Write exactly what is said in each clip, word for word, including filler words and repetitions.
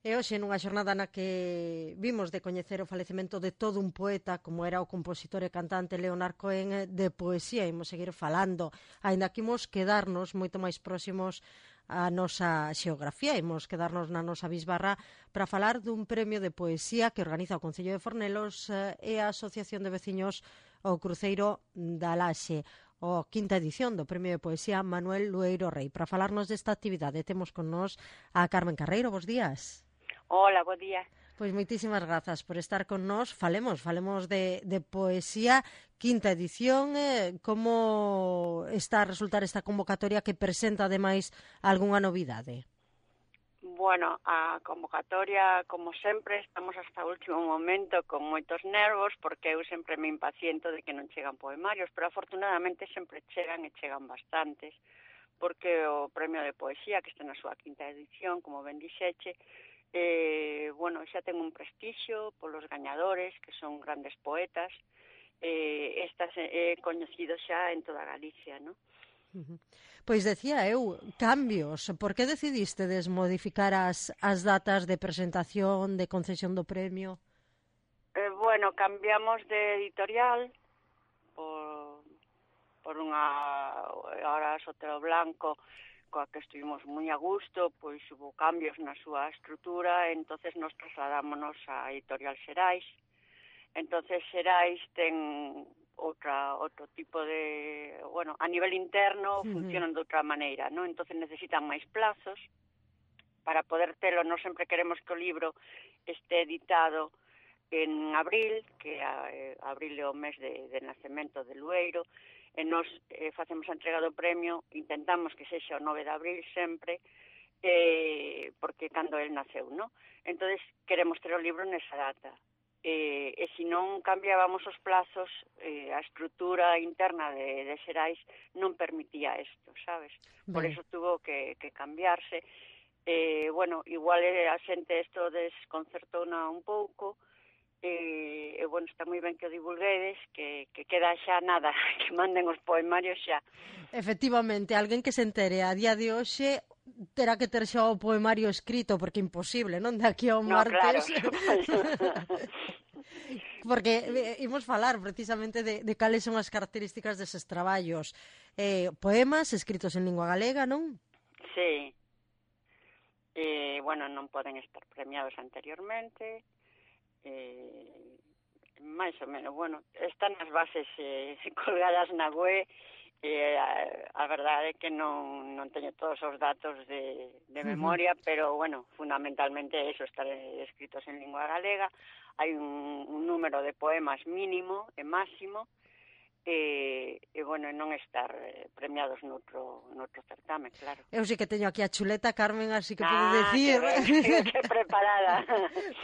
E hoxe, nunha xornada na que vimos de coñecer o falecemento de todo un poeta, como era o compositor e cantante Leonard Cohen, de poesía, imos seguir falando, aínda que imos quedarnos moito máis próximos a nosa xeografía, imos quedarnos na nosa bisbarra para falar dun premio de poesía que organiza o Concello de Fornelos e a Asociación de Veciños o Cruceiro da Laxe, o quinta edición do Premio de Poesía Manuel Lueiro Rei. Para falarnos desta actividade temos con nós a Carmen Carreiro. Bos días. Hola, bo día. Pois moitísimas grazas por estar con nós. Falemos, falemos de, de poesía, quinta edición. Eh, como está a resultar esta convocatoria que presenta, ademais, algunha novidade? Bueno, a convocatoria, como sempre, estamos hasta o último momento con moitos nervos, porque eu sempre me impaciento de que non chegan poemarios, pero afortunadamente sempre chegan e chegan bastantes, porque o Premio de Poesía, que está na súa quinta edición, como ben dixeche, eh, bueno, xa ten un prestixio polos gañadores, que son grandes poetas, eh, estas é eh, coñecido xa en toda Galicia, non? Uh-huh. Pois decía eu, cambios. Por que decidiste desmodificar as, as datas de presentación, de concesión do premio? Eh, bueno, cambiamos de editorial por, por unha ahora Sotero Blanco, coa que estuvimos moi a gusto, pois hubo cambios na súa estrutura, entonces nos trasladámonos a Editorial Xerais. Entonces Xerais ten outra outro tipo de, bueno, a nivel interno Uh-huh. funcionan de outra maneira, ¿no? Entonces necesitan máis plazos para poder telo. Nós sempre queremos que o libro este editado en abril, que a, eh, abril é o mes de, de nacemento de Lueiro, e nós eh, facemos a entrega do premio, intentamos que sexa o nove de abril sempre, eh, porque cando el naceu, ¿no? Entonces queremos ter o libro nesa data. Eh, e se non cambiábamos os plazos, eh, a estrutura interna de, de Xerais non permitía isto, sabes? Por Ben. eso tuvo que, que cambiarse. Eh, bueno, igual a xente isto desconcertouna un pouco, e, e bueno, está moi ben que o divulguedes, que, que queda xa nada, que manden os poemarios xa. Efectivamente, alguén que se entere a día de hoxe terá que ter xa o poemario escrito, porque é imposible, non? De aquí ao No, martes. claro. Porque eh, imos falar precisamente de, de cales son as características deses traballos. Eh, poemas escritos en lingua galega, non? Sí. Eh, bueno, non poden estar premiados anteriormente, eh, máis ou menos, bueno, están as bases eh, colgadas na web, eh, a, a verdade é que non, non teño todos os datos de, de memoria, uh-huh. Pero, bueno, fundamentalmente eso, estar escritos en lingua galega. Hai un, un número de poemas mínimo e máximo, e, e bueno, non estar eh, premiados noutro, noutro certamen, claro. Eu sí que teño aquí a chuleta, Carmen, así que ah, podo dicir... Ah, que, que preparada.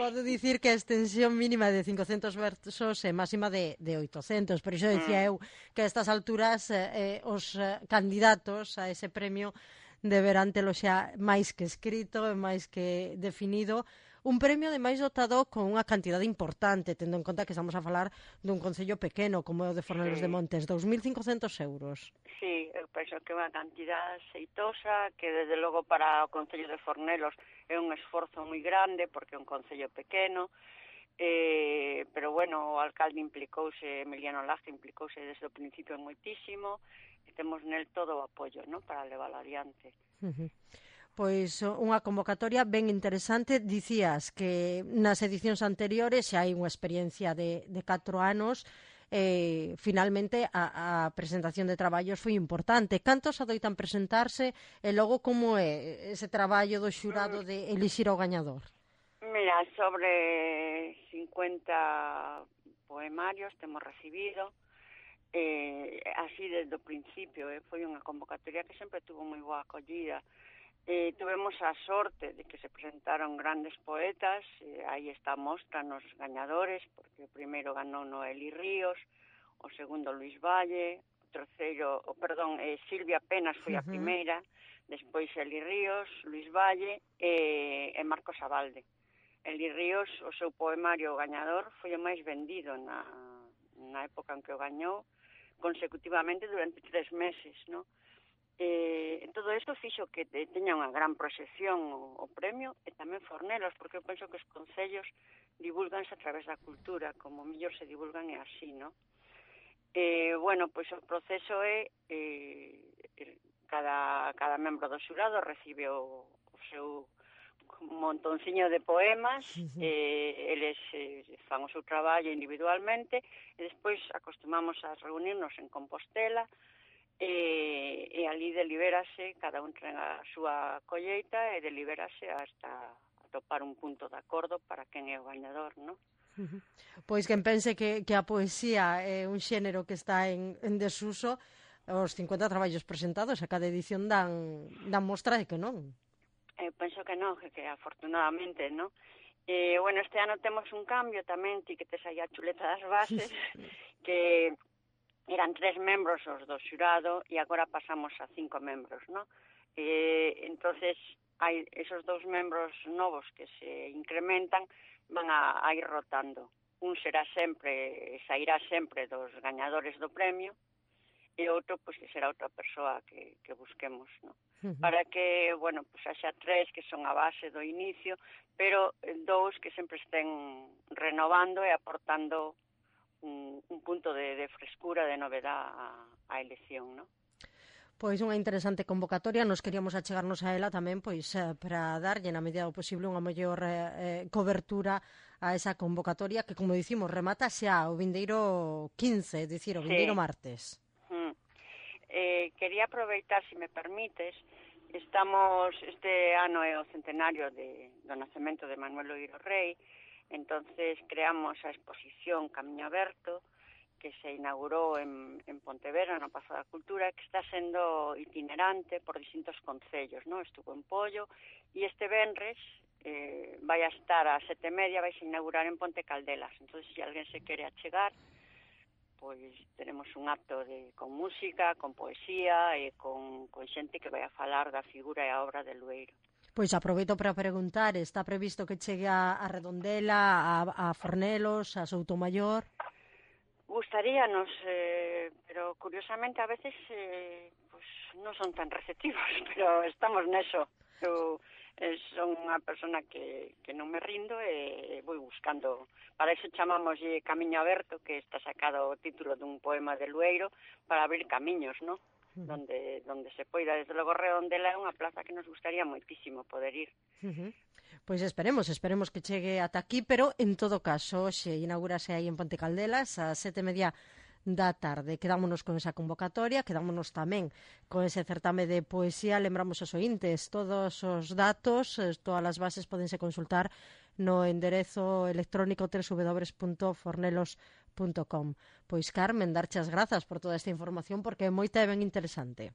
Podo dicir que a extensión mínima de cincocentos versos e máxima de, de oitocentos, pero iso decía mm. eu que a estas alturas eh, os eh, candidatos a ese premio deberán telo xa máis que escrito e máis que definido. Un premio, ademais, dotado con unha cantidade importante, tendo en conta que estamos a falar dun concello pequeno, como é o de Fornelos sí. de Montes, dous mil cincocentos euros. Sí, eu penso que é unha cantidade xeitosa, que desde logo para o concello de Fornelos é un esforzo moi grande, porque é un concello pequeno, eh, pero, bueno, o alcalde implicouse, Emiliano Laje implicouse desde o principio moitísimo, e temos nel todo o apoio, ¿no?, para levar adiante. Uh-huh. Pois unha convocatoria ben interesante. Dicías que nas edicións anteriores xa hai unha experiencia de, de catro anos. Eh, finalmente a, a presentación de traballos foi importante. Cantos adoitan presentarse e logo como é ese traballo do xurado de elixir ao gañador? Mira, sobre cincuenta poemarios temos recibido. Eh, así desde o principio, eh, foi unha convocatoria que sempre tuvo moi boa acollida. Eh, tuvemos a sorte de que se presentaron grandes poetas, eh, aí está a mostra nos gañadores, porque o primeiro ganou Noeli Ríos, o segundo Luis Valle, o terceiro, o perdón, eh, Silvia Penas foi a primeira, uh-huh. Despois Eli Ríos, Luis Valle e, e Marcos Abalde. Eli Ríos, o seu poemario gañador, foi o máis vendido na, na época en que o gañou, consecutivamente durante tres meses, non? Eh, todo isto fixo que teña unha gran proxección o, o premio e tamén Fornelos, porque eu penso que os concellos divulganse a través da cultura, como mellor se divulgan é así, non? Eh, bueno, pois o proceso é eh, cada, cada membro do xurado recibe o, o seu montonciño de poemas, eh, eles eh, fan o seu traballo individualmente e despois acostumamos a reunirnos en Compostela e, e ali deliberase, cada un ten a súa colleita e deliberase hasta atopar un punto de acordo para quen é o gañador, non? Pois quen pense que, que a poesía é un xénero que está en, en desuso, os cincuenta traballos presentados a cada edición dan, dan mostra de que non. Eu penso que non, que, que afortunadamente, non? Eh, bueno, este ano temos un cambio tamén, ti que tes aí a chuleta das bases, que eran tres membros os do xurado e agora pasamos a cinco membros, non? Eh, entonces, hai esos dous membros novos que se incrementan, van a, a ir rotando. Un será sempre, sairá sempre dos gañadores do premio, e outro, pois, que será outra persoa que, que busquemos, non? Uh-huh. Para que, bueno, pois, haxa tres que son a base do inicio, pero dous que sempre estén renovando e aportando un, un punto de, de frescura, de novedad á, á elección, non? Pois unha interesante convocatoria, nos queríamos achegarnos a ela tamén pois eh, para darlle na medida do posible unha mellor eh, cobertura a esa convocatoria que, como dicimos, remata xa o vindeiro quince, é dicir, o vindeiro sí. martes. Mm. Eh, quería aproveitar, se si me permites, estamos, este ano é o centenario de, do nacemento de Manuel Loiro Rei, entonces creamos a exposición Camiño Aberto, que se inaugurou en, en Pontevedra, no Pazo da Cultura, que está sendo itinerante por distintos concellos, non? Estuvo en Pollo, e este venres eh, vai a estar a sete e media, vai a inaugurar en Ponte Caldelas. Entón, se alguén se quere achegar, pois tenemos un acto de, con música, con poesía e con, con xente que vai a falar da figura e a obra de Lueiro. Pois aproveito para preguntar, está previsto que chegue a, a Redondela, a, a Fornelos, a Soutomaior? Gustaríanos, eh, pero curiosamente a veces eh, pues, non son tan receptivos, pero estamos neso. Eu eh, son unha persona que, que non me rindo e vou buscando. Para iso chamamos Camiño Aberto, que está sacado o título dun poema de Lueiro, para abrir camiños, non? Uh-huh. Donde, donde se poida. Desde logo Redondela é unha plaza que nos gustaría moitísimo poder ir. Uh-huh. Pois esperemos, esperemos que chegue ata aquí, pero en todo caso, xe inaugurase aí en Ponte Caldelas a sete e media da tarde. Quedámonos con esa convocatoria, quedámonos tamén con ese certame de poesía. Lembramos aos ointes, todos os datos, todas as bases podense consultar no enderezo electrónico w w w punto fornelos punto com. Pois, Carmen, darche as grazas por toda esta información, porque é moita e ben interesante.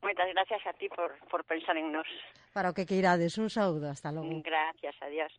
Moitas gracias a ti por, por pensar en nós. Para o que queirades, un saúdo, hasta logo. Gracias, adiós.